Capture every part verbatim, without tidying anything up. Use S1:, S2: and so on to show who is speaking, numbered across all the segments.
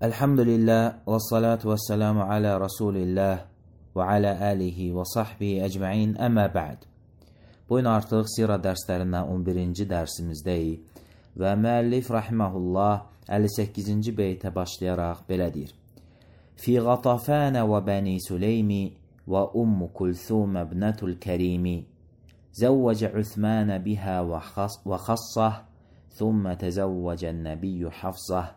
S1: Elhamdülillah və salatu və selamu alə Rasulillah və alə alihi və sahbihi əcməin, əmmə bə'd. Bugün artıq sirə dərslərindən on birinci dərsimizdəyik və müəllif rahiməhullah əlli səkkizinci beytə başlayaraq belə deyir. Fi Qatafənə və Bəni Süleymi və Ummu Kulthum ibnətul Kərimi zəvvəcə Üthmənə bihə və xassah, thumma təzəvvəcən nəbiyyü Hafsah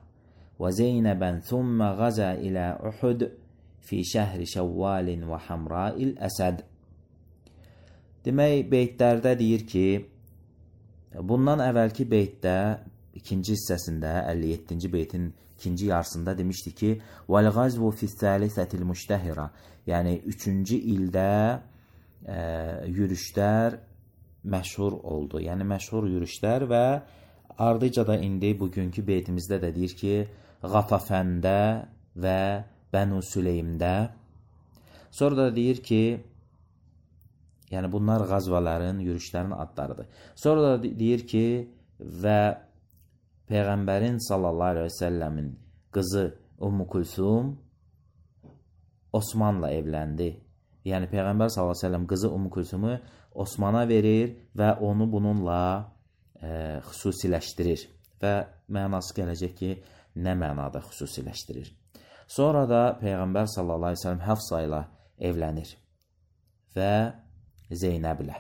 S1: وزينبا ثم غزا إلى أحد في شهر شوال وحمراء الأسد. Demək, beytlərdə deyir ki, bundan əvvəlki beytdə, ikinci hissəsində, əlli yeddinci beytin ikinci yarısında demişdi ki, وَالْغَزْوُ فِي الثَّالِثَةِ الْمُشْتَهِرَةِ, yəni üçüncü ildə e, yürüşlər məşhur oldu. Yəni məşhur yürüşlər və ardıca da indi bugünkü beytimizdə də deyir ki, Qatafəndə və Bənu Süleymdə. Sonra da deyir ki, yəni bunlar qazvaların, yürüşlərin adlarıdır. Sonra da deyir ki, və Peyğəmbərin sallallahu aleyhi və səlləmin qızı Ummu Kulthum Osmanla evləndi. Yəni Peyğəmbər sallallahu aleyhi və səlləm qızı Ummu Kulthumu Osmana verir və onu bununla e, xüsusiləşdirir. Və mənası gələcək ki, nə mənada xüsusiləşdirir. Sonra da Peyğəmbər sallallahu aleyhi ve sellem Hafsa ilə evlənir və Zeynəblə.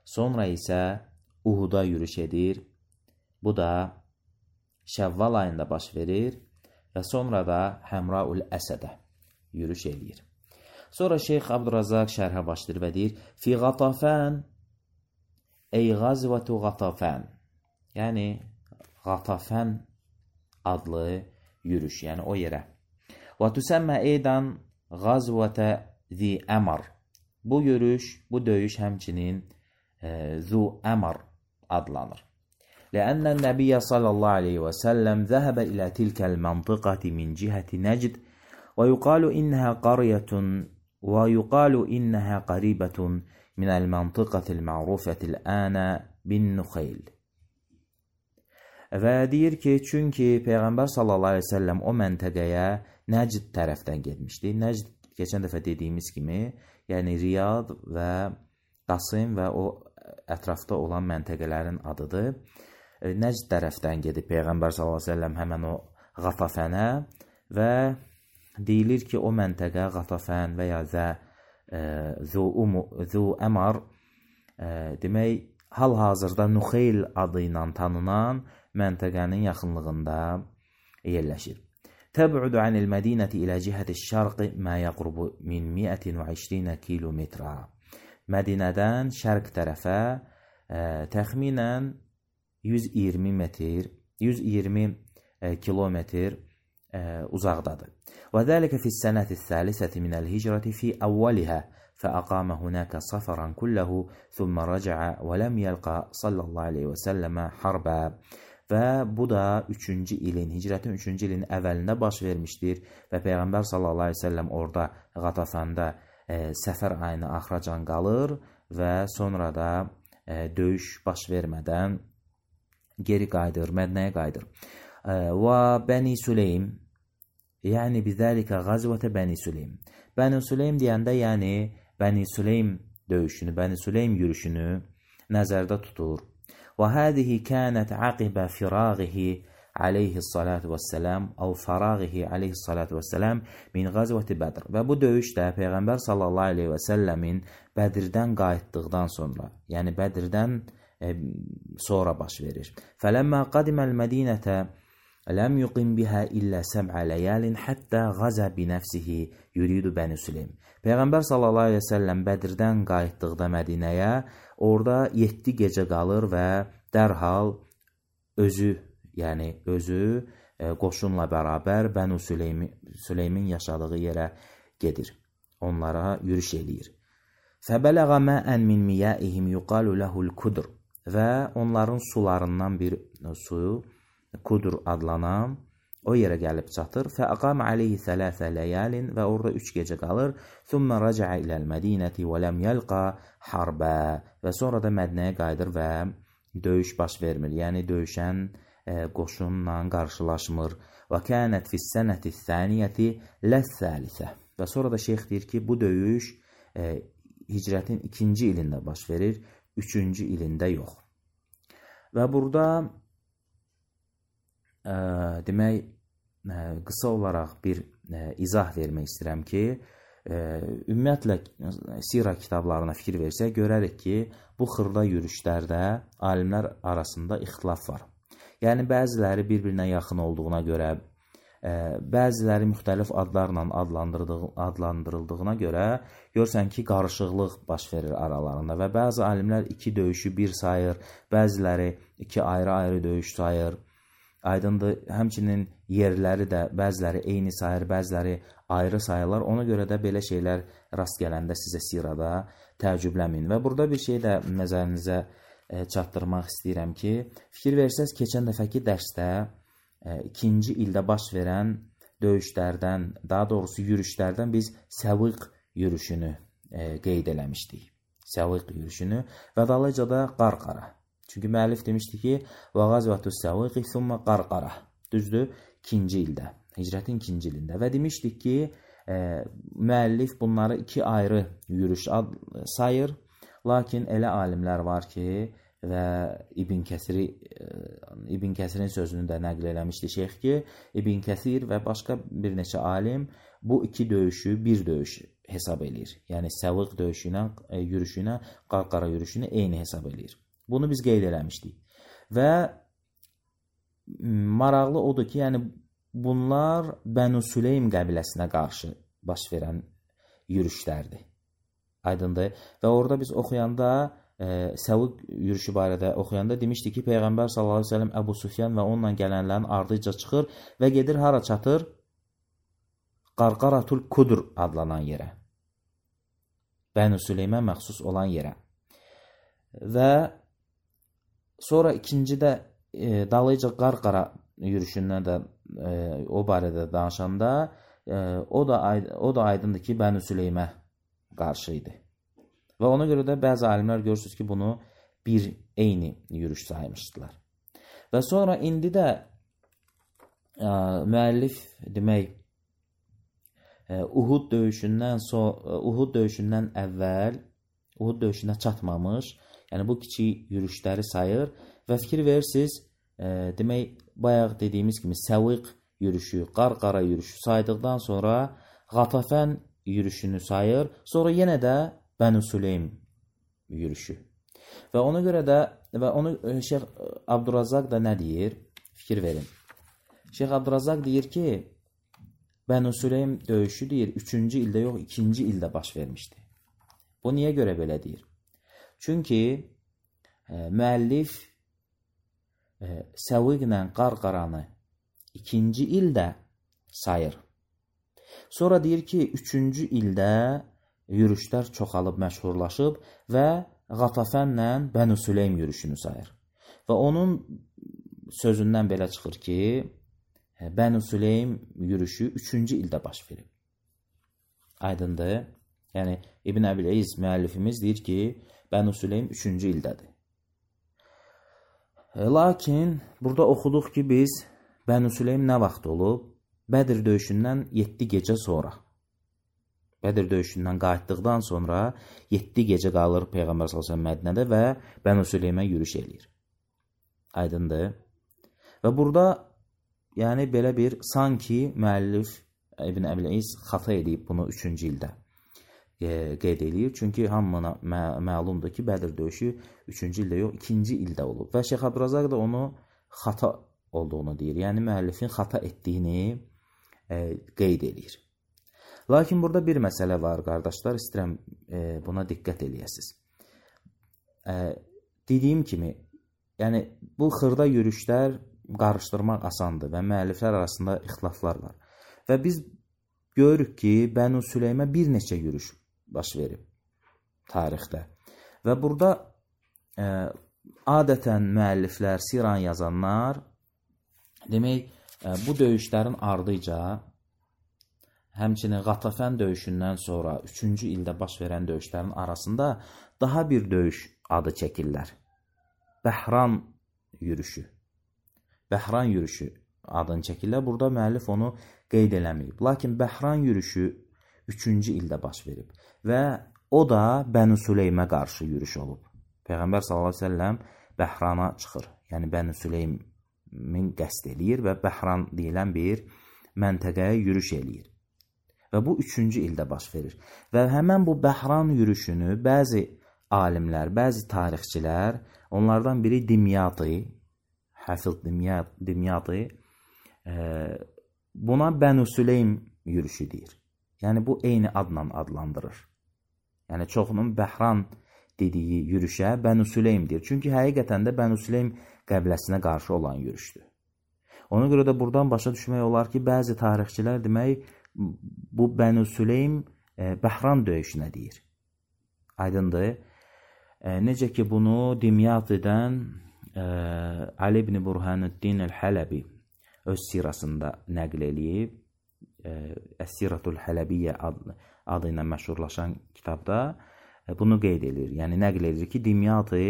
S1: Sonra isə Uhuda yürüş edir. Bu da Şəvval ayında baş verir və sonra da Həmraul Əsədə yürüş edir. Sonra Şeyx Abdurazaq şərhə başlayır və deyir: Fi Qatafən ey Qazvatu Qatafən, yəni Qatafən adlı yürüş, yəni o yerə. Və tüsəmmə eydan Qazvətə zi əmar. Bu yürüş, bu döyüş həmçinin e, zu əmar adlanır. Ləənnən Nəbiyyə sallallahu aleyhi və səlləm zəhəbə ilə tilkəl məntiqəti min cihəti Nəcd və yuqalu innəhə qariyətun və yuqalu innəhə qaribətun minəl məntiqətil mərufətil ənə bin Nuxeyl. Və deyir ki, çünki Peyğəmbər sallallahu aleyhi ve sellem o məntəqəyə Nəcd tərəfdən getmişdi. Nəcd, keçən dəfə dediyimiz kimi, yəni Riyad və Qasım və o ətrafda olan məntəqələrin adıdır. Nəcd tərəfdən gedib Peyğəmbər sallallahu aleyhi ve sellem həmən o Qatafənə və deyilir ki, o məntəqə Qatafən və ya zə e, zu, umu, zu əmar e, demək, hal-hazırda Nuxeyl adı ilə tanınan məntəqənin yaxınlığında yerləşir. Təb'udu anil mədinəti ilə cihəti şərqi mə yəqrubu min mi'ətin və iyirmi kilometrə. Mədinədən şərq tərəfə e, təxminən yüz iyirmi metr, yüz iyirmi e, kilometr e, uzaqdadır. Və zəlikə fis-sənəti s-səlisəti minəl hicrəti fi əvvəlihə فأقام هناك صفرا كله ثم رجع ولم يلقى صلى الله عليه وسلم حربا. Və bu da üçüncü ilin, hicrətin üçüncü ilin əvvəlində baş vermişdir və Peyğəmbər sallallahu aleyhi ve sellem orada Qatafəndə e, səfər ayını axıracan qalır və sonra da e, döyüş baş vermədən geri qayıdır, Mədinəyə qayıdır. E, və Bəni Süleym, yəni bizəlikə qazvətə Bəni Süleym. Bəni Süleym deyəndə, yəni Bəni Süleym döyüşünü, Bəni Süleym yürüşünü nəzərdə tutur. Və hədihi kənət aqibə firağihi aleyhissalatu vəssələm əv farağihi aleyhissalatu vəssələm min qazvəti Bədr. Və bu döyüş də Peyğəmbər sallallahu aleyhi və səlləmin Bədirdən qayıtdıqdan sonra, yəni Bədirdən e, sonra baş verir. Fələmmə qadiməl mədinətə ləm yuqim bihə illə səb'ə ləyəlin həttə qaza binəfsihi yuridu Bəni Süleym. Peyğəmbər sallallahu aleyhi və səlləm Bədirdən qayıtdıqda Mədinəyə orada yeddi gecə qalır və dərhal özü, yəni özü e, qoşunla bərabər Bənu Süleymi, Süleymin yaşadığı yerə gedir. Onlara yürüş eləyir. Fəbələğə məən min miyəihim yuqalu ləhul kudur. Və onların sularından bir suyu Kudur adlanan o yerə gəlib çatır. Fəəqam aleyhi thələthə ləyəlin və orada üç gecə qalır. Thumma rəcəə iləl mədinəti və ləm yəlqa harbə. Və sonra da Mədinəyə qayıdır və döyüş baş vermir. Yəni döyüşən e, qoşunla qarşılaşmır. və kənət fis-sənəti thaniyyəti ləs-səlisə. Və sonra da şeyx deyir ki, bu döyüş e, hicrətin ikinci ilində baş verir, üçüncü ilində yox. Və burada e, demək, e, qısa olaraq bir e, izah vermək istəyirəm ki, e, ümumiyyətlə sira kitablarına fikir versək, görərik ki, bu xırda yürüşlərdə alimlər arasında ixtilaf var. Yəni, bəziləri bir-birinə yaxın olduğuna görə, e, bəziləri müxtəlif adlarla adlandırıldığına görə görsən ki, qarışıqlıq baş verir aralarında və bəzi alimlər iki döyüşü bir sayır, bəziləri iki ayrı-ayrı döyüş sayır. Aydındır, həmçinin yerləri də bəziləri eyni sayır, bəziləri ayrı sayırlar. Ona görə də belə şeylər rast gələndə sizə sirada təəccübləmin. Və burada bir şey də nəzərinizə e, çatdırmaq istəyirəm ki, fikir versəz, keçən dəfəki dərsdə e, ikinci ildə baş verən döyüşlərdən, daha doğrusu yürüşlərdən biz Səviq yürüşünü e, qeyd eləmişdik. Səviq yürüşünü və dalınca da Qarqara. Çünki müəllif demişdi ki, və qazvətus Səviqi thumma Qarqara. Düzdür, ikinci ildə, hicrətin ikinci ilində. Və demişdik ki, e, müəllif bunları iki ayrı yürüş ad, sayır. Lakin elə alimlər var ki, və İbn Kəsiri, İbn Kəsirin sözünü də nəql eləmişdi şeyx ki, İbn Kəsir və başqa bir neçə alim bu iki döyüşü bir döyüş hesab eləyir. Yəni, Səviq döyüşünə, e, yürüşünə, Qarqara yürüşünə eyni hesab eləyir. Bunu biz qeyd eləmişdik. Və maraqlı odur ki, yəni bunlar Bənu Süleym qəbiləsinə qarşı baş verən yürüşlərdir. Aydındır. Və orada biz oxuyanda, e, Səviq yürüşü barədə oxuyanda demişdik ki, Peyğəmbər sallallahu əleyhi və səlləm Əbu Süfyan və onunla gələnlərin ardınca çıxır və gedir hara çatır? Qarqaratul Kudur adlanan yerə. Bənu Süleymə məxsus olan yerə. Və sonra ikincidə e, dalıyca Qarqara yürüşündən də e, o barədə danışanda e, o da o da aydındır ki, Bənu Süleymə qarşı idi. Və ona görə də bəzi alimlər görürsünüz ki, bunu bir eyni yürüş saymışdılar. Və sonra indi də e, müəllif demək e, Uhud döyüşündən so Uhud döyüşündən əvvəl Uhud döyüşünə çatmamış, yəni bu kiçik yürüşləri sayır və fikir verirsiniz, e, demək, bayaq dediyimiz kimi Səviq yürüşü, Qarqara yürüşü saydıqdan sonra Qatafən yürüşünü sayır, sonra yenə də Bənu Süleym yürüşü. Və ona görə də, və onu Şeyx Abdurrazzaq da nə deyir? Fikir verin. Şeyx Abdurrazzaq deyir ki, Bənu Süleym döyüşü deyir, üçüncü ildə yox, ikinci ildə baş vermişdi. Bu niyə görə belə deyir? Çünki e, müəllif e, Səviqlə Qarqaranı ikinci ildə sayır. Sonra deyir ki, üçüncü ildə yürüşlər çoxalıb, məşhurlaşıb və Qatafənlə Bənu Süleym yürüşünü sayır. Və onun sözündən belə çıxır ki, Bənu Süleym yürüşü üçüncü ildə baş verib. Aydındır. Yəni, İbn Əbil-İz müəllifimiz deyir ki, Bənu Süleym üçüncü ildədir. Lakin, burada oxuduq ki, biz Bənu Süleym nə vaxt olub? Bədir döyüşündən yeddi gecə sonra. Bədir döyüşündən qayıtdıqdan sonra yeddi gecə qalır Peyğəmbər sallallahu əleyhi və səlləm Mədinədə və Bənu Süleymə yürüş eləyir. Aydındır. Və burada, yəni belə bir, sanki müəllif İbn Əbil-İz xata edib bunu üçüncü ildə qeyd eləyir. Çünki hamına mə məlumdur ki, Bədir döyüşü üçüncü ildə yox, ikinci ildə olub. Və Şeyx Abdurrazzaq da onu xata olduğunu deyir. Yəni, müəllifin xata etdiyini e, qeyd eləyir. Lakin burada bir məsələ var, qardaşlar, istəyirəm e, buna diqqət eləyəsiniz. E, dediyim kimi, yəni, bu xırda yürüşlər qarışdırmaq asandır və müəlliflər arasında ixtilaflar var. Və biz görürük ki, Bənu Süleymə bir neçə yürüş baş verib tarixdə. Və burada e, adətən müəlliflər, siran yazanlar, demək, e, bu döyüşlərin ardıca, həmçinin Qatafən döyüşündən sonra üçüncü ildə baş verən döyüşlərin arasında daha bir döyüş adı çəkirlər. Bəhran yürüşü. Bəhran yürüşü adını çəkirlər. Burada müəllif onu qeyd eləməyib. Lakin Bəhran yürüşü üçüncü ildə baş verib və o da Bəni Süleymə qarşı yürüş olub. Peyğəmbər sallallahu əleyhi və səlləm Bəhrana çıxır. Yəni Bəni Süleymin qəsd eləyir və Bəhran deyilən bir məntəqəyə yürüş eləyir. Və bu üçüncü ildə baş verir. Və həmən bu Bəhran yürüşünü bəzi alimlər, bəzi tarixçilər, onlardan biri Dimyati, Həfiz Dimyati, e, buna Bəni Süleym yürüşü deyir. Yəni bu eyni adla adlandırır. Yəni çoxunun Bəhran dediyi yürüşə Bəni Süleym deyir. Çünki həqiqətən də Bəni Süleym qəbiləsinə qarşı olan yürüşdür. Ona görə də buradan başa düşmək olar ki, bəzi tarixçilər demək bu Bəni Süleym e, Bəhran döyüşünə deyir. Aydındır. E, necə ki bunu Dimyati'dən e, Ali ibn Burhanuddin el-Hələbi öz sirasında nəql eləyib. E, Əs-Siratul Hələbiyyə adlı, adı ilə məşhurlaşan kitabda e, bunu qeyd edir. Yəni nəql edir ki, Dimyati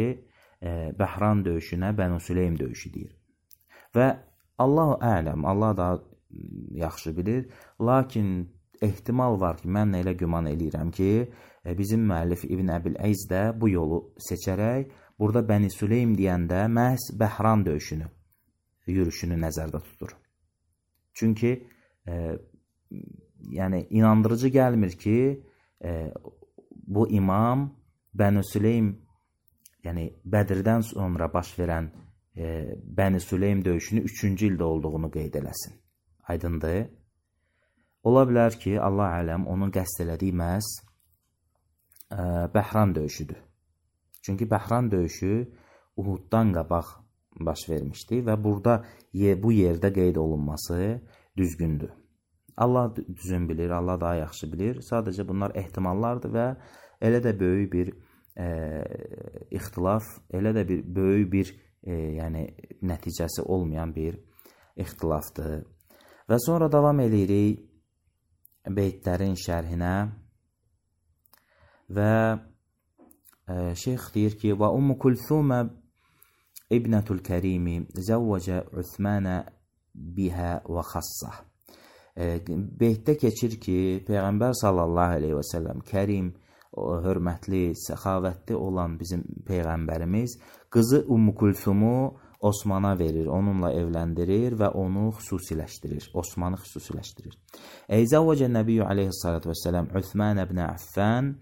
S1: e, Bəhran döyüşünə Bəni Süleym döyüşü deyir. Və Allahu ələm, Allah daha yaxşı bilir. Lakin ehtimal var ki, mən elə güman eləyirəm ki, bizim müəllif İbn Əbil Əz də bu yolu seçərək, burada Bəni Süleym deyəndə məhz Bəhran döyüşünü, yürüşünü nəzərdə tutur. Çünki e, yəni inandırıcı gəlmir ki, e, bu imam Bəni Süleym, yəni Bədirdən sonra baş verən e, Bəni Süleym döyüşünü üçüncü ildə olduğunu qeyd eləsin. Aydındır. Ola bilər ki, Allah ələm onun qəsd elədiyi məhz e, Bəhran döyüşüdür. Çünki Bəhran döyüşü Uhuddan qabaq baş vermişdi və burada bu yerdə qeyd olunması düzgündür. Allah düzün bilir, Allah daha yaxşı bilir. Sadəcə bunlar ehtimallardır və elə də böyük bir e, ixtilaf, elə də bir böyük bir e, yəni nəticəsi olmayan bir ixtilafdır. Və sonra davam edirik beytlərin şərhinə və e, şeyx deyir ki, və Ummu Kulthumə İbnətul Kərimi zəvvəcə Üthmənə bihə və xassah. E, beytdə keçir ki, Peyğəmbər sallallahu aleyhi və səlləm Kərim, hörmətli, səxavətli olan bizim Peyğəmbərimiz qızı Ummu Kulthumu Osmana verir, onunla evləndirir və onu xüsusiləşdirir, Osmanı xüsusiləşdirir. Eyzəvvəcə Nəbiyyü aleyhissalatu vesselam Üthman ibn Affan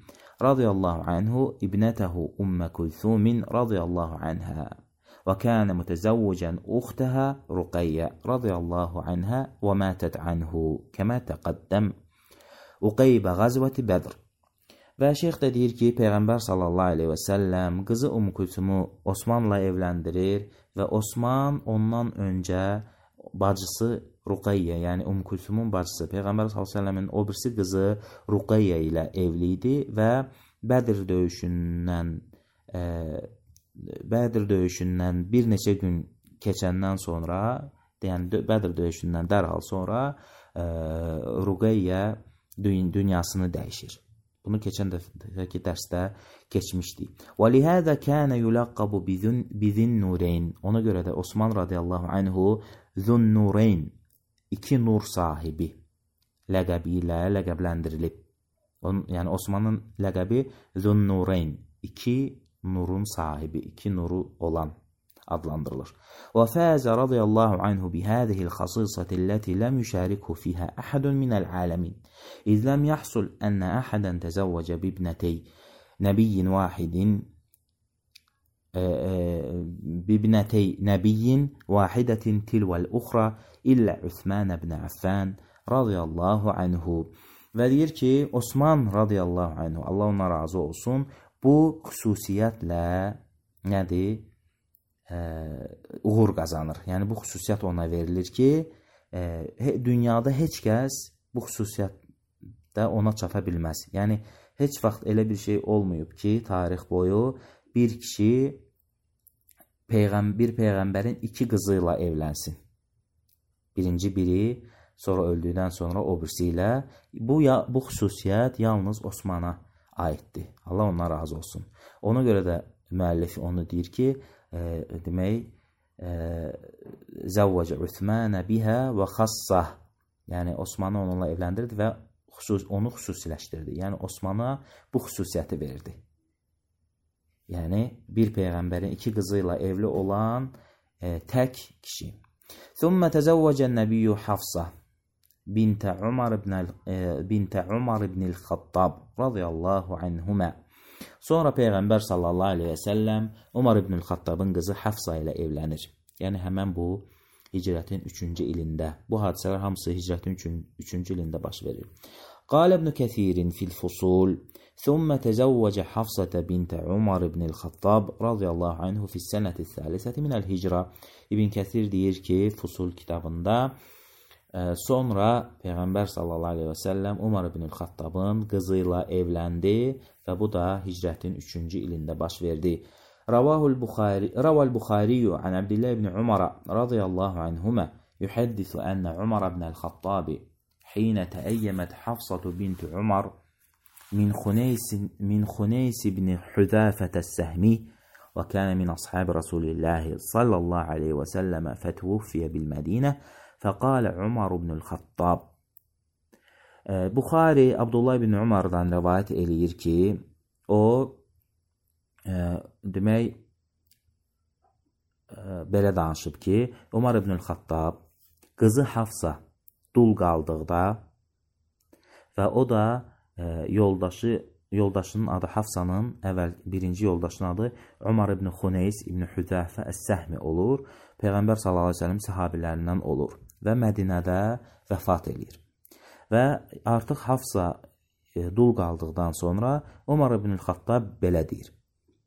S1: radiyallahu anhu ibnətəhu Ummə Kulthumin radiyallahu anhə və kənə mütəzəvvəcən uxtəhə Ruqayyə radiyallahu anhə və mətət anhu kəmə təqəddəm Uqeybə qəzvəti Bədr. Və şeyx də deyir ki, Peyğəmbər sallallahu aleyhi və səlləm qızı Umm Kulthumu Osmanla evləndirir və Osman ondan öncə bacısı Ruqayyə, yəni Umm Kulthumun bacısı, Peyğəmbər sallallahu aleyhi və səlləmin o birisi qızı Ruqayyə ilə evli idi və Bədir döyüşündən e, Bədir döyüşündən bir neçə gün keçəndən sonra, yəni Bədir döyüşündən dərhal sonra e, Ruqayyə dünyasını dəyişir. Bunu keçən dəfəki dərsdə keçmişdik. وَلِهَذَا كَانَ يُلَقَّبُ بِذِنْنُورَيْنِ. Ona görə də Osman radiyallahu anhu Zünnurayn, iki nur sahibi ləqəbi ilə ləqəbləndirilib. Onun, yəni Osmanın ləqəbi Zünnurayn, iki nurun sahibi, iki nuru olan adlandırılır. وَفَازَ رَضِيَ اللّٰهُ عَنْهُ بِهَذِهِ الْخَصِيصَةِ الَّتِي لَمْ يُشَارِكْهُ فِيهَا أَحَدٌ مِنَ الْعَالَمِينَ إِذْ لَمْ يَحْصُلْ أَنَّ أَحَدًا تَزَوَّجَ بِابْنَتَيْ نَبِيٍّ وَاحِدٍ بِابْنَتَيْ نَبِيٍّ وَاحِدَةٍ تِلْوَ الْأُخْرَى إِلَّا عُثْمَانَ بْنَ عَفَّانَ رَضِيَ اللّٰهُ عَنْهُ. Və deyir ki, Osman radiyallahu anhu, Allah ona razı olsun, bu xüsusiyyətlə nədir? E, uğur qazanır. Yəni bu xüsusiyyət ona verilir ki, e, dünyada heç kəs bu xüsusiyyətdə ona çata bilməz. Yəni heç vaxt elə bir şey olmayıb ki, tarix boyu bir kişi peyğəm bir peyğəmbərin iki qızı ilə evlənsin. Birinci biri, sonra öldükdən sonra o birisi ilə. Bu ya bu xüsusiyyət yalnız Osmana aiddir. Allah ondan razı olsun. Ona görə də müəllif onu deyir ki, E, demək, zəvvəcə Uthmanə bihə və xassah. Yəni Osmanı onunla evləndirdi və xüsus, onu xüsusiləşdirdi. Yəni Osmana bu xüsusiyyəti verdi. Yəni bir peyğəmbərin iki qızı ilə evli olan e, tək kişi. Thumma təzəvvəcə nəbiyyü Hafsa bintə Umar ibn bintə Umar ibn el-Xattab radiyallahu anhumə. Sonra peyğəmbər sallallahu əleyhi və səlləm Umar ibn el-Xattabın qızı Hafsa ilə evlənir. Yəni həmin bu hicrətin üçüncü ilində. Bu hadisələr hamısı hicrətin üçüncü ilində baş verir. Qal İbn Kəthir fil Fusul thumma təzəvvəcə Hafsata bint Umar ibn el-Xattab radiyallahu anhu fi sənəti thalisəti minəl hicra. İbn Kəthir deyir ki, Fusul kitabında sonra Peyğəmbər sallallahu aleyhi və səlləm Umar ibn el-Xattabın qızı ilə evləndi və bu da hicrətin üçüncü ilində baş verdi. Ravahul Buxari, Raval Buxariyyu an Abdullah ibn Umar radiyallahu anhuma yuhaddithu anna Umar ibn el-Xattab حين تأيمت حفصة بنت عمر من خنيس من خنيس بن حذافة السهمي وكان من أصحاب رسول الله صلى الله عليه وسلم فتوفي بالمدينة فقال عمر بن الخطاب. Buxari Abdullah ibn Umardan rivayet eləyir ki, o e, demək e, belə danışıb ki, Umar ibn el-Xattab qızı Hafsa dul qaldıqda və o da e, yoldaşı yoldaşının adı Hafsanın əvvəl birinci yoldaşının adı Umar ibn Xuneys ibn Hüzafə Əs-Səhmi olur. Peyğəmbər sallallahu əleyhi və səlləm səhabilərindən olur və Mədinədə vəfat eləyir. Və artıq Hafsa e, dul qaldıqdan sonra Umar ibn el-Xattab belə deyir.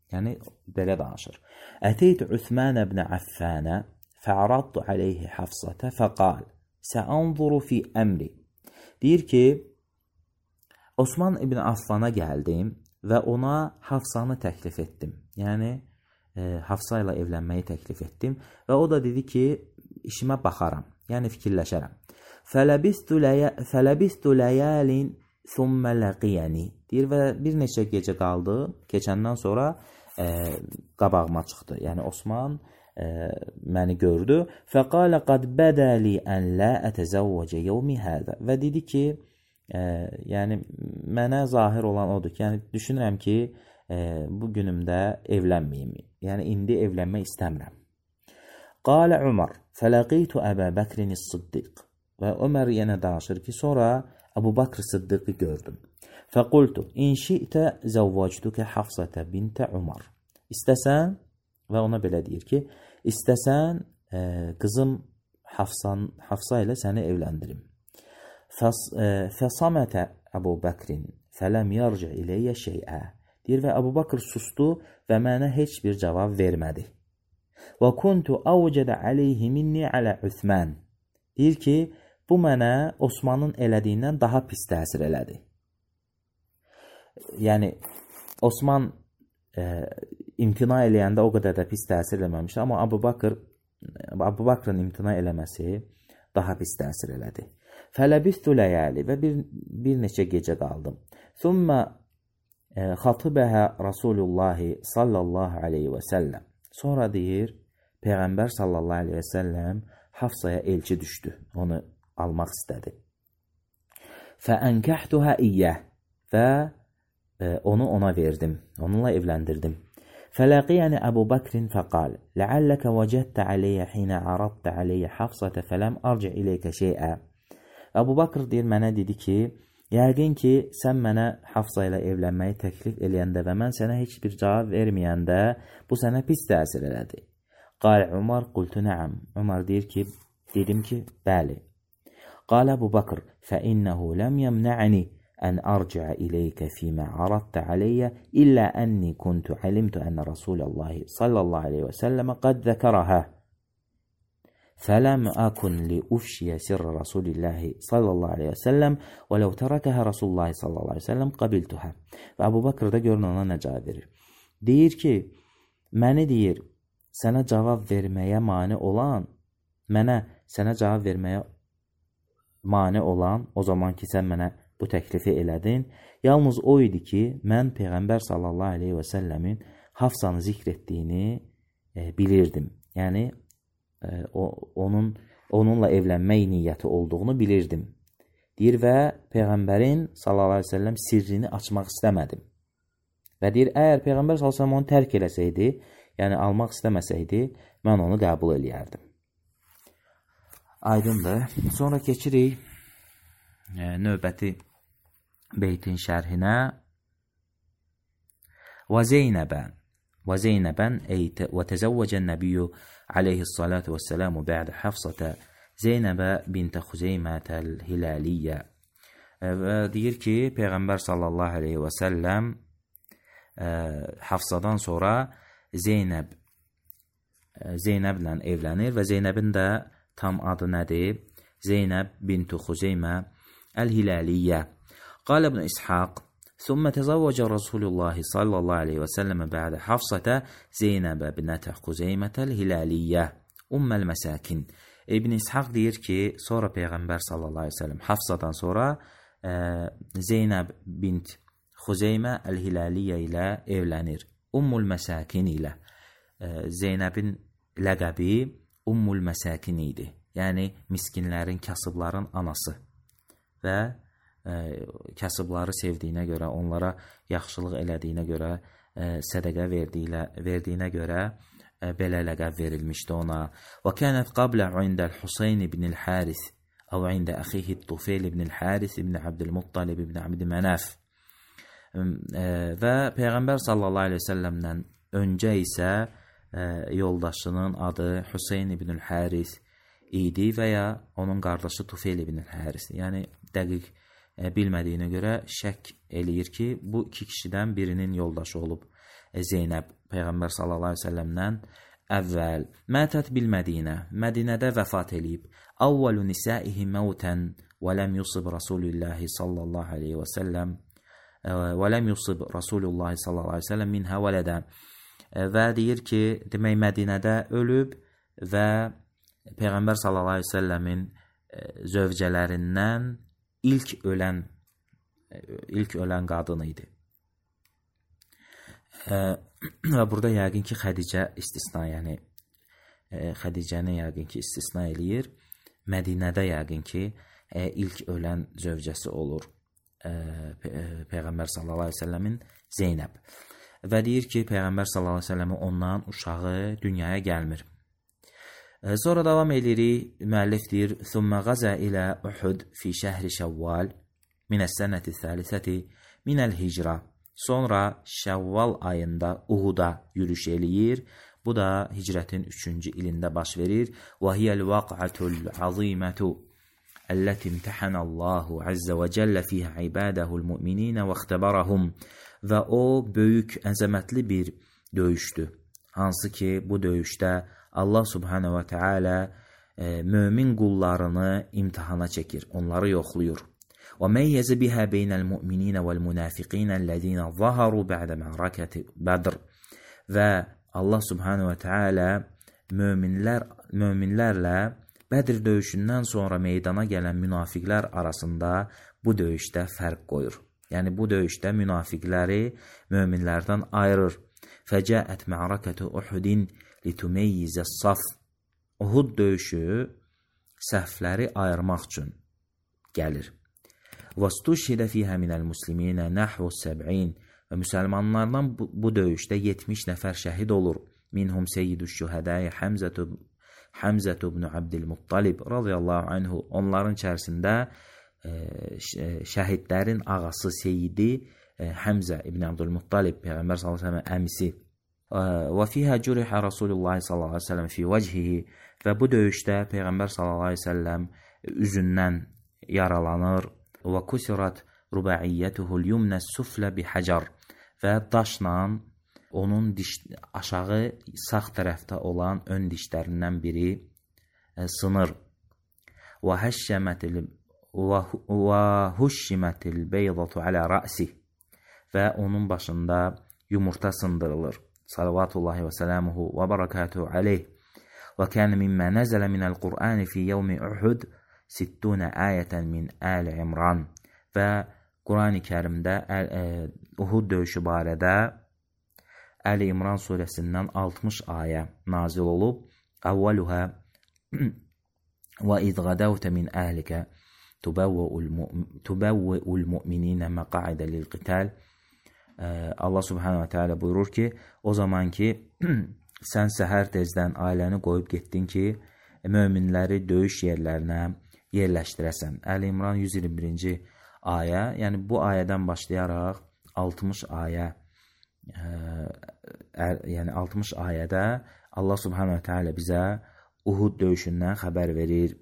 S1: Yəni belə danışır. Əteytu Uthman ibn Affana fa'aradtu alayhi Hafsata faqal sa'anzuru fi amri. Deyir ki, Osman ibn Affana gəldim və ona Hafsanı təklif etdim. Yəni e, Hafsa ilə evlənməyi təklif etdim və o da dedi ki, işimə baxaram, yəni fikirləşərəm. Fələbistu ləyəlin thumma laqiyani. Deyir və bir neçə gecə qaldı, keçəndən sonra e, qabağıma çıxdı. Yəni Osman e, məni gördü. Fəqalə qad bədəli ən lə ətəzəvvəcə yevmi hədə. Və dedi ki, e, yəni mənə zahir olan odur ki, yəni düşünürəm ki, e, bu günümdə evlənməyim. Yəni indi evlənmək istəmirəm. Qalə Umar, fələqitu Əbə Bəkrin Sıddiq. Və Ömər yenə danışır ki, sonra Əbu Bakr Sıddiqi gördüm. Fəqultu, in şi'tə zəvvacdukə Hafsətə bintə Umar. İstəsən, və ona belə deyir ki, istəsən, e, qızım Hafsan, Hafsa ilə səni evləndirim. Fəsamətə Əbu Bəkrin fələm yarcə iləyyə şeyə. Deyir və Əbu Bakr sustu və mənə heç bir cavab vermədi. Və kuntu avcədə aleyhi minni alə Uthman. Deyir ki, bu mənə Osmanın elədiyindən daha pis təsir elədi. Yəni, Osman e, imtina eləyəndə o qədər də pis təsir eləməmişdi, amma Əbu Bakr, Əbu Bakrın imtina eləməsi daha pis təsir elədi. Fələbistu ləyəli və bir, bir neçə gecə qaldım. Thumma e, xatibəhə Rasulullahi sallallahu aleyhi və səlləm. Sonra deyir, Peyğəmbər sallallahu aleyhi və səlləm Hafsaya elçi düşdü, onu almaq istədi. Fəənkəhtuhə iyyəh və e, onu ona verdim, onunla evləndirdim. Fəlaqiyəni Əbu Bakrin fəqal, ləalləkə vəcəddə aleyyə xinə araddə aleyyə Hafsətə fələm arci iləykə şeyə. Əbu Bakr deyir, mənə dedi ki, yəqin ki, sən mənə Hafsa ilə evlənməyi təklif eləyəndə və mən sənə heç bir cavab verməyəndə, bu sənə pis təsir elədi. Qal Umar, qultu nəəm. Umar deyir ki, dedim ki, bəli. Qal Əbu Bakr, fəinnəhu ləm yəmnə'ni ən arciə iləykə fīmə araddə aleyyə illə ənni kuntu alimtu ənə Rasulallahi sallallahu aleyhi və səlləmə qad zəkərəhə. Fələm əkun li ufşiyə sirrə Rasulillahi sallallahu aleyhi və səlləm və ləv tərəkəhə Rasulullahi sallallahu aleyhi və səlləm qabiltuhə. Və Əbu Bakr da görün ona nə cavab verir. Deyir ki, məni deyir, sənə cavab verməyə mane olan, mənə sənə cavab verməyə mane olan, o zaman ki, sən mənə bu təklifi elədin, yalnız o idi ki, mən Peyğəmbər sallallahu aleyhi və səlləmin Hafsanı zikr etdiyini e, bilirdim. Yəni, o, onun onunla evlənmək niyyəti olduğunu bilirdim. Deyir və Peyğəmbərin sallallahu əleyhi və səlləm sirrini açmaq istəmədim. Və deyir, əgər Peyğəmbər sallallahu əleyhi və səlləm onu tərk eləsəydi, yəni almaq istəməsəydi, mən onu qəbul eləyərdim. Aydındır. Sonra keçirik e, növbəti beytin şərhinə. Və Zeynəbən və Zeynəbən və təzəvvəcən nəbiyyü aleyhissalatu vəssəlamu bə'də Hafsata Zeynəbə bintə Xuzeymətəl Hilaliyyə. Və deyir ki, Peyğəmbər sallallahu aleyhi və səlləm Hafsadan sonra Zeynəb Zeynəblə evlənir və Zeynəbin də tam adı nədir? Zeynəb bintü Xuzeymə Əl-Hilaliyyə. Qal İbn İshaq ثم تزوج رسول الله صلى الله عليه وسلم بعد حفصة زينب بنت خزيمة الهلالية أم المساكن. İbn İshaq deyir ki, sonra Peyğəmbər sallallahu aleyhi ve sellem Hafsadan sonra e, Zeynəb bint Xuzeymə Əl-Hilaliyyə ilə evlənir. Ummul Məsakin ilə. E, Zeynəbin ləqəbi Ummul Məsakin idi. Yəni miskinlərin, kasıbların anası. Və e, kasıbları sevdiyinə görə, onlara yaxşılıq elədiyinə görə, e, sədəqə verdiyinə, verdiyinə görə e, belə ləqəb verilmişdi ona. Və kənət qablə indəl Huseyn ibn el-Haris əv ində əxihi Tufeyl ibn el-Haris ibn Abdülmuttalib ibn Abdümenəf. E, və Peyğəmbər sallallahu aleyhi ve səlləmdən öncə isə e, yoldaşının adı Huseyn ibn el-Haris idi və ya onun qardaşı Tufeyl ibn el-Haris. Yəni dəqiq e, bilmədiyinə görə şək eləyir ki, bu iki kişidən birinin yoldaşı olub e, Zeynəb Peyğəmbər sallallahu aleyhi ve səlləmdən əvvəl. Mətət bilmədiyinə, Mədinədə vəfat eləyib. Avvalu nisaihi məvtən və ləm yusib Rasulillahi sallallahu aleyhi ve səlləm və ləm yusib Rasulullahi sallallahu aleyhi ve səlləm minhə vələdə. E, və deyir ki, demək Mədinədə ölüb və Peyğəmbər sallallahu aleyhi ve səlləmin e, zövcələrindən ilk ölən e, ilk ölən qadın idi. E, və burada yəqin ki, Xədicə istisna, yəni e, Xədicəni yəqin ki, istisna eləyir. Mədinədə yəqin ki, e, ilk ölən zövcəsi olur e, Pe Peyğəmbər sallallahu aleyhi ve səlləmin Zeynəb. Və deyir ki, Peyğəmbər sallallahu aleyhi ve səlləmin ondan uşağı dünyaya gəlmir. Sonra davam edirik. Müəllif deyir: "Thumma gaza ila Uhud fi şəhri Şəvval min as-sanati ath-thalithati min al-hicra." Sonra Şəvval ayında Uhud'a yürüş eləyir. Bu da hicrətin üçüncü ilində baş verir. "Və hiyəl vaq'atul azimatu allati imtahana Allahu azza və cəllə fiha ibadahul mu'minin və ixtabarahum." Və o böyük, əzəmətli bir döyüşdür. Hansı ki, bu döyüşdə Allah subhanahu wa ta'ala e, mömin qullarını imtihana çəkir, onları yoxluyur. Və meyyəzə bihə beynəl mu'mininə vəl münafiqinə ləzinə zaharu bə'də mə'rakəti Bədr. Və Allah subhanahu wa ta'ala möminlər, möminlərlə Bədr döyüşündən sonra meydana gələn münafiqlər arasında bu döyüşdə fərq qoyur. Yəni bu döyüşdə münafiqləri möminlərdən ayırır. Fəcəət mə'rakəti Uhudin litumeyyize saf. Uhud döyüşü səhvləri ayırmaq üçün gəlir. Vastuşhidə fiyhə minəl musliminə nəhvu səb'in. Və müsəlmanlardan bu, bu döyüşdə yetmiş nəfər şəhid olur. Minhum seyyidüş şühədəyə Həmzətu Həmzətu ibn Abdülmuttalib radiyallahu anhu. Onların içərisində e, şəhidlərin ağası Seyyidi e, Həmzə ibn Abdülmuttalib, Peyğəmbər sallallahu əleyhi və səlləm əmisi. Və fiyhə cürihə Rasulullah sallallahu aleyhi ve sellem fi vəchihi. Və bu döyüşdə Peyğəmbər sallallahu aleyhi ve sellem üzündən yaralanır. Və kusirat ruba'iyyətuhul yumnə suflə bihəcar. Və daşla onun diş, aşağı sağ tərəfdə olan ön dişlərindən biri e, sınır. Və həşşəmətil və huşşimətil beydatu alə rəsi. Və onun başında yumurta sındırılır. Salavatullahi və sələmuhu və barakatuhu aleyh. Və kənə mimmə nəzələ minəl Qur'ani fi yevmi Uhud sittuna ayətən min Əl İmran. Və Qur'an-ı Kərimdə e, Uhud döyüşü barədə Əl İmran surəsindən altmış ayə nazil olub. Əvvəluhə وَإِذْ غَدَوْتَ مِنْ أَهْلِكَ تُبَوِّئُ الْمُؤْمِنِينَ مَقَاعِدَ لِلْقِتَالِ. Allah subhanahu wa ta'ala buyurur ki, o zaman ki sən səhər tezdən ailəni qoyub getdin ki, möminləri döyüş yerlərinə yerləşdirəsən. Əl-İmran yüz iyirmi birinci ayə, yəni bu ayədən başlayaraq altmış ayə, ə, yəni altmış ayədə Allah subhanahu wa ta'ala bizə Uhud döyüşündən xəbər verir.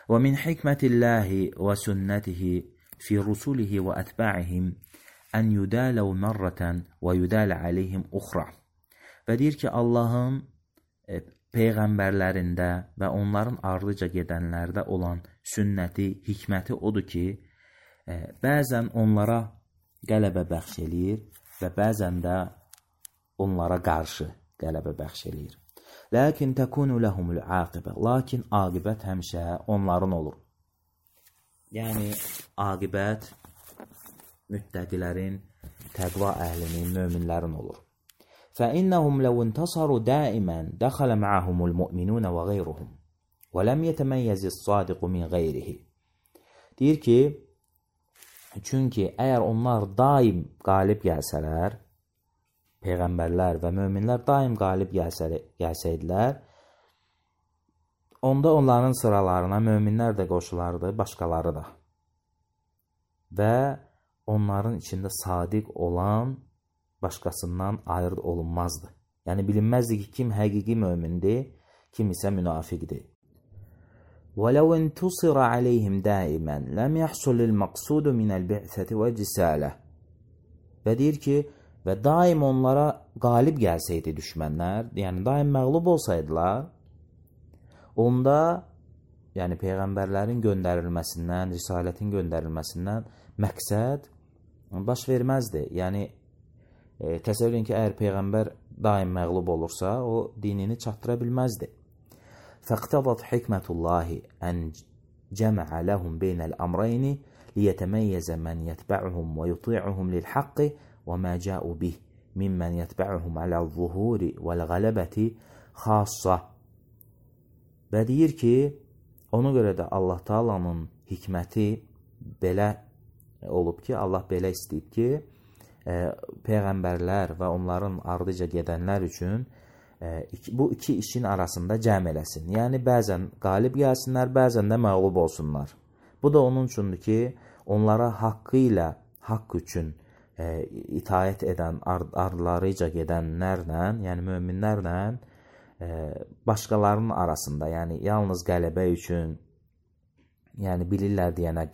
S1: Və min hikmətillahi və sünnətihi fi rusulihi və ətba'ihim ən yudələv mərrətən və yudələ aleyhim uxra. Və deyir ki, Allahın e, peyğəmbərlərində və onların ardıca gedənlərdə olan sünnəti, hikməti odur ki, e, bəzən onlara qələbə bəxş eləyir və bəzən də onlara qarşı qələbə bəxş eləyir. Lakin təkunu ləhumul aqibə. Lakin aqibət həmişə onların olur. Yəni, aqibət müttəqilərin, təqva əhlinin, möminlərin olur. فإنهم لو انتصروا دائما دخل معهم المؤمنون وغيرهم ولم يتميز الصادق من غيره. Deyir ki, çünki əgər onlar daim qalib gəlsələr, peyğəmbərlər və möminlər daim qalib gəlsəydilər, onda onların sıralarına möminlər də qoşulardı, başqaları da. Və onların içində sadiq olan başqasından ayrı olunmazdı. Yəni bilinməzdi ki, kim həqiqi mömindir, kim isə münafiqdir. وَلَوْ اِنْتُصِرَ عَلَيْهِمْ دَائِمًا لَمْ يَحْصُلِ الْمَقْصُودُ مِنَ الْبِعْثَةِ وَالْجِسَالَةِ. Və deyir ki, və daim onlara qalib gəlsəydi düşmənlər, yəni daim məğlub olsaydılar, onda yəni peyğəmbərlərin göndərilməsindən, risalətin göndərilməsindən məqsəd baş verməzdi. Yəni e, təsəvvür edin ki, əgər peyğəmbər daim məğlub olursa, o dinini çatdıra bilməzdi. فَاقْتَضَتْ حِكْمَةُ اللّٰهِ أَنْ جَمَعَ لَهُمْ بَيْنَ الْأَمْرَيْنِ لِيَتَمَيَّزَ مَنْ يَتْبَعُهُمْ وَيُطِيعُهُمْ لِلْحَقِّ وَمَا جَاءُوا بِهِ مِمَّنْ يَتْبَعُهُمْ عَلَى الظُّهُورِ وَالْغَلَبَةِ خَاصَّةً. Və deyir ki, ona görə də Allah Taala'nın hikməti belə olub ki, Allah belə istəyib ki, e, peyğəmbərlər və onların ardıca gedənlər üçün e, iki, bu iki işin arasında cəm eləsin. Yəni, bəzən qalib gəlsinlər, bəzən də məğlub olsunlar. Bu da onun üçündür ki, onlara haqqı ilə, haqq üçün e, itaət edən, ardılarıca gedənlərlə, yəni möminlərlə e, başqalarının arasında, yəni yalnız qələbə üçün, yəni bilirlər deyənə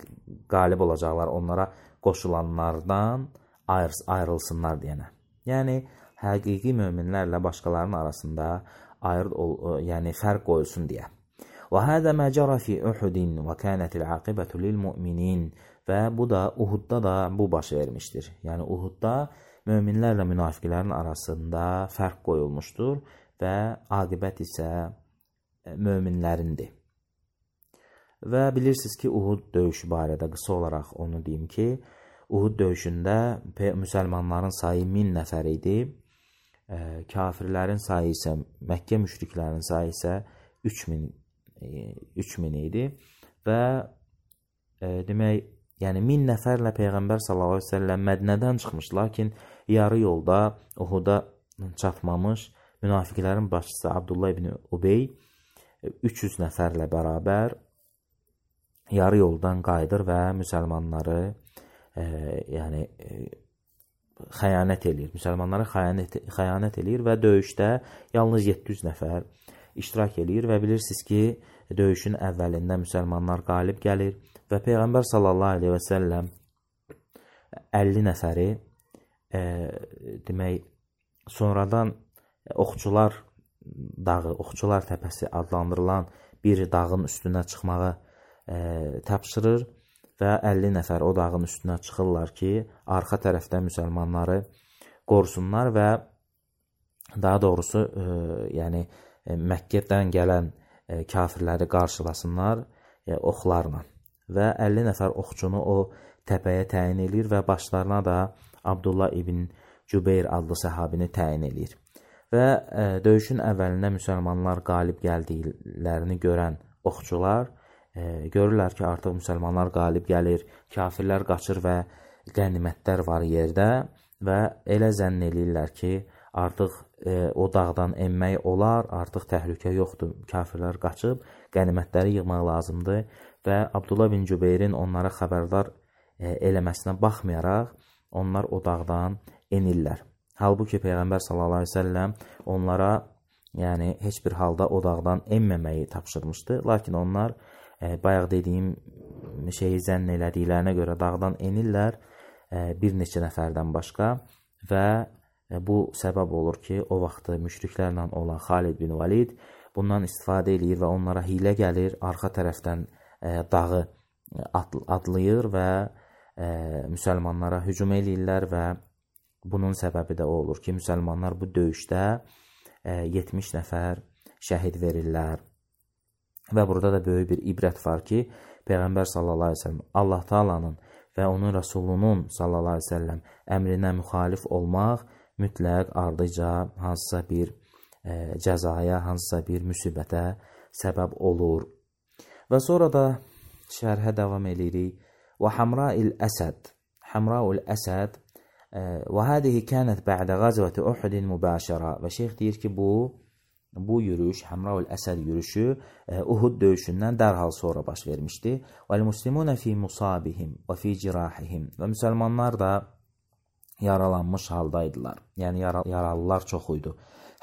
S1: qalib olacaqlar, onlara qoşulanlardan ayr ayrılsınlar deyənə. Yəni, həqiqi möminlərlə başqalarının arasında ayır, yəni fərq qoyulsun deyə. وَهَذَا مَا جَرَى فِي أُحُدٍ وَكَانَتِ الْعَاقِبَةُ لِلْمُؤْمِنِينَ. Və bu da Uhudda da bu baş vermişdir. Yəni Uhudda möminlərlə münafiqlərin arasında fərq qoyulmuşdur və aqibət isə möminlərindir. Və bilirsiniz ki, Uhud döyüşü barədə qısa olaraq onu deyim ki, Uhud döyüşündə müsəlmanların sayı min nəfər idi, e, kafirlərin sayı isə, Məkkə müşriklərin sayı isə üç min idi və e, demək, yəni min nəfərlə Peyğəmbər sallallahu əleyhi və səlləm Mədinədən çıxmış, lakin yarı yolda Uhuda çatmamış münafiqlərin başçısı Abdullah ibn Ubey üç yüz nəfərlə bərabər yarı yoldan qayıdır və müsəlmanları e, yəni e, xəyanət eləyir. Müsəlmanlara xəyanət, xəyanət eləyir və döyüşdə yalnız yeddi yüz nəfər iştirak eləyir və bilirsiniz ki, döyüşün əvvəlində müsəlmanlar qalib gəlir və Peyğəmbər sallallahu əleyhi və səlləm əlli nəfəri e, demək, sonradan Oxçular dağı, Oxçular təpəsi adlandırılan bir dağın üstünə çıxmağı e, tapşırır və əlli nəfər o dağın üstünə çıxırlar ki, arxa tərəfdə müsəlmanları qorusunlar və daha doğrusu e, yəni e, Məkkədən gələn e, kafirləri qarşılasınlar e, oxlarla. Və əlli nəfər oxçunu o təpəyə təyin edir və başlarına da Abdullah ibn Cübeyr adlı səhabini təyin edir. Və ə, döyüşün əvvəlində müsəlmanlar qalib gəldiklərini görən oxçular ə, görürlər ki, artıq müsəlmanlar qalib gəlir, kafirlər qaçır və qənimətlər var yerdə və elə zənn eləyirlər ki, artıq e, o dağdan enmək olar, artıq təhlükə yoxdur, kafirlər qaçıb, qənimətləri yığmaq lazımdır və Abdullah bin Cübeyrin onlara xəbərdar e, eləməsinə baxmayaraq, onlar o dağdan enirlər. Halbuki Peyğəmbər sallallahu əleyhi və səlləm onlara yəni heç bir halda o dağdan enməməyi tapşırmışdı, lakin onlar e, bayaq dediyim şeyi zənn elədiklərinə görə dağdan enirlər, e, bir neçə nəfərdən başqa və bu səbəb olur ki, o vaxtı müşriklərlə olan Xalid bin Valid bundan istifadə edir və onlara hilə gəlir, arxa tərəfdən e, dağı adlayır və e, müsəlmanlara hücum edirlər və bunun səbəbi də o olur ki, müsəlmanlar bu döyüşdə e, yetmiş nəfər şəhid verirlər. Və burada da böyük bir ibrət var ki, Peyğəmbər sallallahu əleyhi və səlləm Allah Taala'nın və onun Rəsulunun sallallahu əleyhi və səlləm əmrinə müxalif olmaq mütləq ardıca hansısa bir e, cəzaya, hansısa bir müsibətə səbəb olur. Və sonra da şərhə davam edirik. Və Hamra'il Əsəd. Hamra'ul Əsəd və hadihi kənət bə'də qazvəti Uhudin mübəşərə. Və şeyx deyir ki, bu bu yürüyüş, Hamra'ul Əsəd yürüyüşü e, Uhud döyüşündən dərhal sonra baş vermişdi. Vəl muslimunə fi musabihim və fi cirahihim. Və müsəlmanlar da yaralanmış haldaydılar. Yəni yara yaralılar çox idi.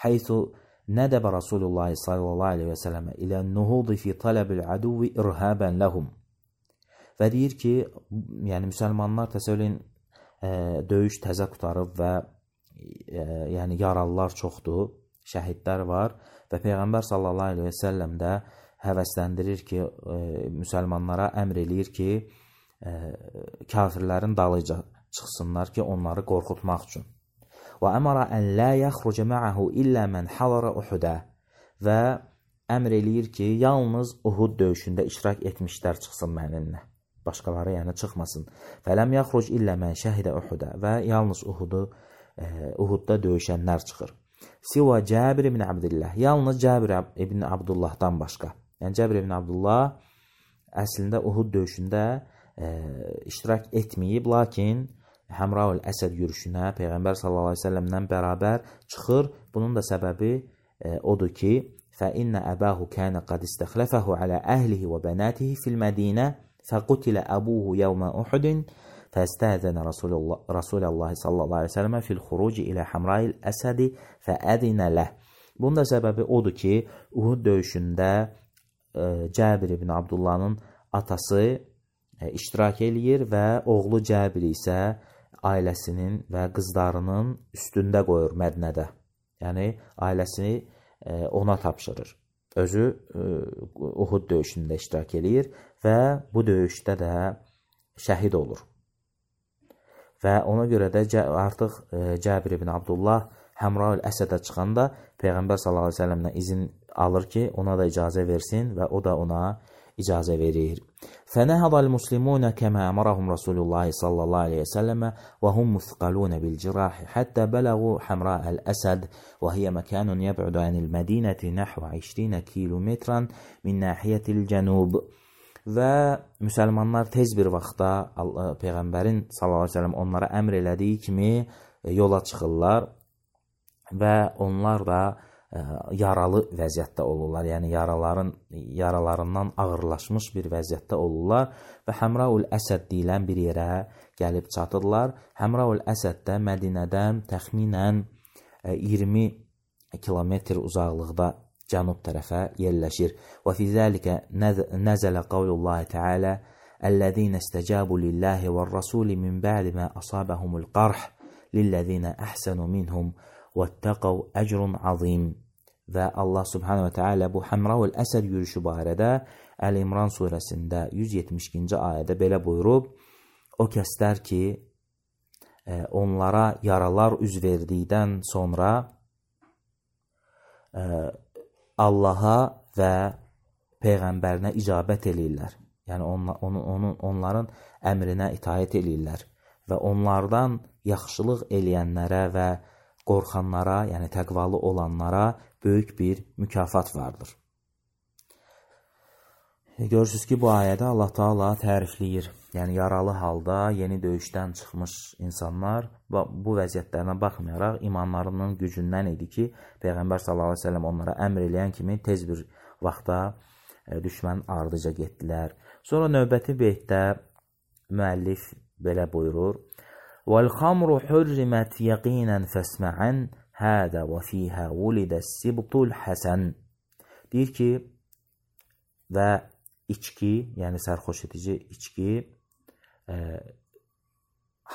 S1: Haythu nadaba Rasulullah sallallahu əleyhi və səlləmə ilə nuhudi fi talabil aduvi irhaban lahum. Və deyir ki, yəni müsəlmanlar təsəvvürün e, döyüş təzə qutarıb və e, yəni yaralılar çoxdur, şəhidlər var və Peyğəmbər sallallahu əleyhi və səlləm də həvəsləndirir ki, e, müsəlmanlara əmr eləyir ki, e, kafirlərin dalıca çıxsınlar ki, onları qorxutmaq üçün. Və əmara ən la yaxruca ma'ahu illə mən hadara Uhudə və əmr eləyir ki, yalnız Uhud döyüşündə iştirak etmişlər çıxsın mənimlə. Başqaları yəni çıxmasın. Fələm yaxruc illə mən şəhidə Uhudə və yalnız Uhudu e, Uhudda döyüşənlər çıxır. Siva Cəbir ibn Abdullah. Yalnız Cəbir ibn Abdullahdan başqa. Yəni Cəbir ibn Abdullah əslində Uhud döyüşündə e, iştirak etməyib, lakin Hamra'ul Əsəd yürüşünə Peyğəmbər sallallahu əleyhi və səlləmlə bərabər çıxır. Bunun da səbəbi e, odur ki, fə innə əbəhu kənə qad istəxləfəhu alə əhlihi və bənatihi fil Mədinə fəqutilə əbuhu yevmə Uhudin fəstəzənə Rasulullah sallallahu əleyhi və səlləmə fil xuruci ilə Hamra'il Əsədi fəədinə ləh. Bunun da səbəbi odur ki, Uhud döyüşündə e, Cəbir ibn Abdullahın atası e, iştirak eləyir və oğlu Cəbir isə ailəsinin və qızlarının üstündə qoyur Mədinədə. Yəni ailəsini e, ona tapşırır. Özü e, Uhud döyüşündə iştirak eləyir və bu döyüşdə də şəhid olur. Və ona görə də artıq e, Cəbir ibn Abdullah Hamra'ul Əsədə çıxanda Peyğəmbər sallallahu əleyhi və səlləmdən izin alır ki, ona da icazə versin və o da ona icazə verir. Fənəhadal muslimunə kəmə əmarahum Rasulullah sallallahu əleyhi və səlləmə və hum müthqalunə bil cirahi həttə bələğu Hamra'al Əsəd və hiyə məkanun yəb'udu anil Mədinəti nəhvə iyirmi kilometran min nahiyyətil cənub. Və müsəlmanlar tez bir vaxtda Peyğəmbərin sallallahu əleyhi və səlləm onlara əmr elədiyi kimi yola çıxırlar və onlar da ə, yaralı vəziyyətdə olurlar. Yəni yaraların yaralarından ağırlaşmış bir vəziyyətdə olurlar və Hamra'ul Əsəd deyilən bir yerə gəlib çatırlar. Hamra'ul Əsəd də Mədinədən təxminən iyirmi kilometr uzaqlıqda cənub tərəfə yerləşir. Və fi zəlikə nəzələ qavlullahi təalə əl-ləzīnə istəcabu lillahi və-r-rasuli min bə'di mə asabəhumul qarh lilləzīnə əhsənu minhum وَاتَّقَوْا أَجْرٌ عَظِيمٌ. Və Allah subhanahu wa ta'ala bu Hamra'ul Əsəd yürüyüşü barədə Əl-İmran surəsində yüz yetmiş ikinci ayədə belə buyurub, o kəslər ki, e, onlara yaralar üz verdikdən sonra e, Allaha və Peyğəmbərinə icabət eləyirlər. Yəni on, on, on, onların əmrinə itaət eləyirlər və onlardan yaxşılıq eləyənlərə və qorxanlara, yəni təqvalı olanlara böyük bir mükafat vardır. Görürsünüz ki, bu ayədə Allah Taala tərifləyir. Yəni, yaralı halda yeni döyüşdən çıxmış insanlar bu vəziyyətlərinə baxmayaraq imanlarının gücündən idi ki, Peyğəmbər sallallahu əleyhi və səlləm onlara əmr eləyən kimi tez bir vaxtda düşmənin ardıca getdilər. Sonra növbəti beytdə müəllif belə buyurur: "Vəl-xamru hurrimat yaqinan fasma'an hada və fiha wulidas-sibtul hasan." Deyir ki, və içki, yəni sərxoş edici içki e,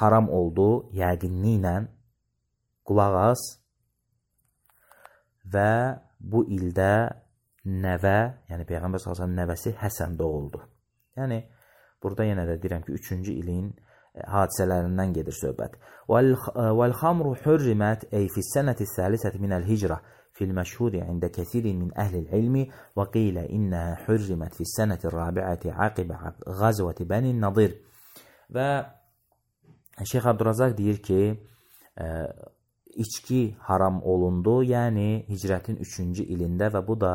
S1: haram oldu yəqinliklə, qulaq as, və bu ildə nəvə, yəni Peyğəmbər sallallahu əleyhi və səlləm nəvəsi Həsən doğuldu. Yəni, burada yenə də deyirəm ki, üçüncü ilin hadisələrindən gedir söhbət. Vəl-xamru hurrimat ey fis-sənəti s-salisəti minəl-hicrə fil-məşhuri ində kəsirin min əhlil-ilmi və qilə innəhə hurrimat fis-sənəti-r-rabi'əti aqibə qazvəti Bənin-Nadir. Və Şeyx Abdurrazaq deyir ki, e, içki haram olundu, yəni hicrətin üçüncü ilində, və bu da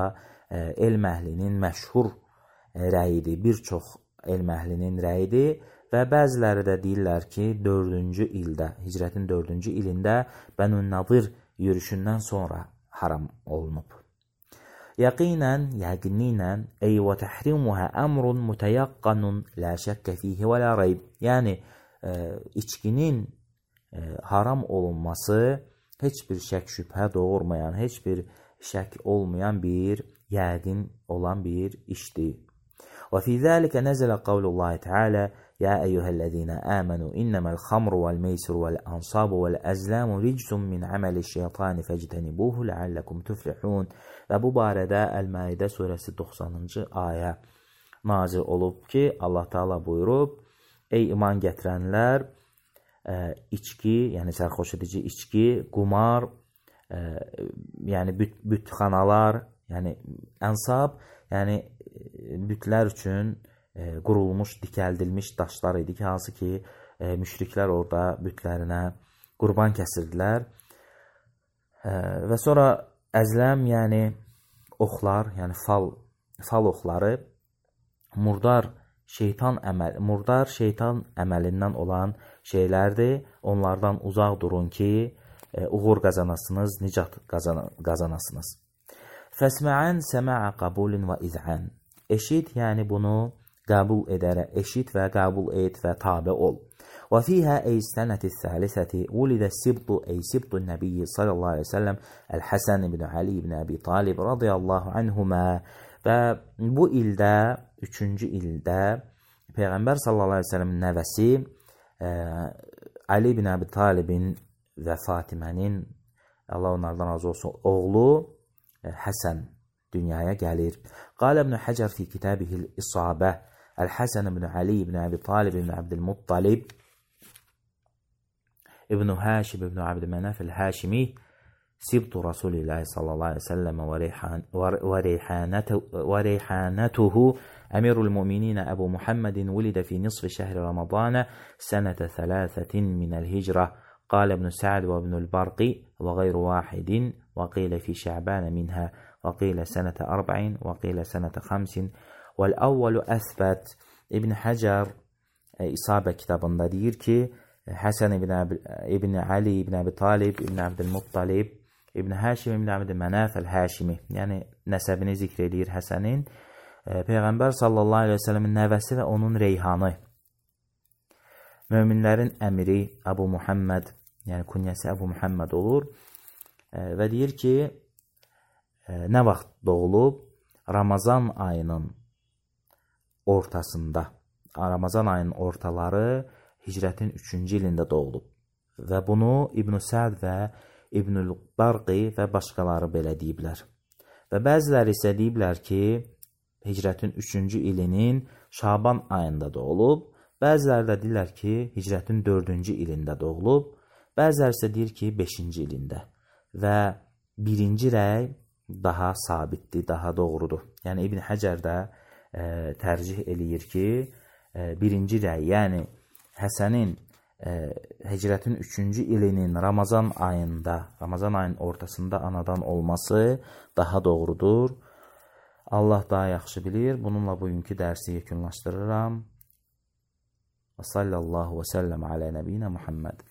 S1: e, elm əhlinin məşhur e, rəyidir, bir çox elm əhlinin rəyidir və bəziləri də deyirlər ki, dördüncü ildə, hicrətin dördüncü ilində Bənun-Nadir yürüşündən sonra haram olunub. Yaqinən, yəqinliklə, ey və təhrimuhə əmrun mütəyaqqanun la şəkkə fihi və la reyb. Yəni, e, içkinin e, haram olunması heç bir şək şübhə doğurmayan, heç bir şək olmayan bir, yəqin olan bir işdir. Və fi zəlikə nəzələ qavlullahi teala: "Ya eyyuhellezina amanu innamal xamru vel meysir vel ansabu vel azlamu ricsun min ameliş-şeytani fectenibuhu leallekum tuflihun." Və bu barədə Əl-Maidə surəsi doxsanıncı ayə nazil olub ki, Allah Taala buyurub: "Ey iman gətirənlər, e, içki, yəni sərxoş edici içki, qumar, e, yəni büt, bütxanalar, yəni ansab, yəni bütlər üçün e, qurulmuş, dikəldilmiş daşlar idi ki, hansı ki, e, müşriklər orada bütlərinə qurban kəsirdilər. E, və sonra əzləm, yəni oxlar, yəni fal, fal oxları, murdar şeytan əməl, murdar şeytan əməlindən olan şeylərdir. Onlardan uzaq durun ki, e, uğur qazanasınız, nicat qazan qazanasınız. Fəsməən səməə qabulin və izən. Eşit, yəni bunu qəbul edərək, eşit və qəbul et və tabe ol. Və fiyhə ey sənəti s-səlisəti ulidə sibtu ey sibtu nəbiyyi sallallahu aleyhi ve sellem Əl-Həsən ibn Ali ibn Əbi Talib radiyallahu anhumə. Və bu ildə, üçüncü ildə Peyğəmbər sallallahu aleyhi ve sellem nəvəsi e, Ali ibn Əbi Talibin və Fatimənin, Allah onlardan razı olsun, oğlu e, Həsən dünyaya gəlir. Qalə İbn Həcər fi kitabihil İsabə Əl-Həsən ibn Ali ibn Əbi Talib ibn Abdülmuttalib İbn Həşib ibn Abdülmənəf el-Həşimi Sibtu Rasulillahi sallallahu aleyhi ve sellem və reyhanətuhu Əmirul Mu'minin Əbu Muhammedin vulidə fi nisfi şəhri Ramazana sənətə thələthətin minəl hicrə. Qalə İbn Sa'd və İbn el-Barqi və qeyru vahidin və qilə fi şə'bənə minhə وقيل سنة أربع وقيل سنة خمس والأول أثبت. İbn Həcər İsabə kitabında deyir ki, Həsən ibn, ibn Ali ibn Əbi Talib ibn Abdülmuttalib İbn Həşim ibn Abdülmənəf el-Həşimi, yəni nəsəbini zikr edir Həsənin, Peyğəmbər sallallahu aleyhi ve sellemin nəvəsi və onun reyhanı, möminlərin əmiri Əbu Muhammed, yəni künyəsi Əbu Muhammed olur və deyir ki, nə vaxt doğulub? Ramazan ayının ortasında, Ramazan ayının ortaları hicrətin üçüncü ilində doğulub. Və bunu İbn Sa'd və İbnül Barqi və başqaları belə deyiblər. Və bəziləri isə deyiblər ki, hicrətin üçüncü ilinin Şaban ayında doğulub. Bəziləri də deyirlər ki, hicrətin dördüncü ilində doğulub. Bəziləri isə deyir ki, beşinci ilində. Və birinci rəy daha sabitdir, daha doğrudur. Yəni İbn Həcər də e, tərcih eləyir ki, e, birinci rəy, yəni Həsənin e, hicrətin üçüncü ilinin Ramazan ayında, Ramazan ayının ortasında anadan olması daha doğrudur. Allah daha yaxşı bilir. Bununla bugünkü dərsi yekunlaşdırıram. Və sallallahu və səlləm alə nəbiyinə Muhammed.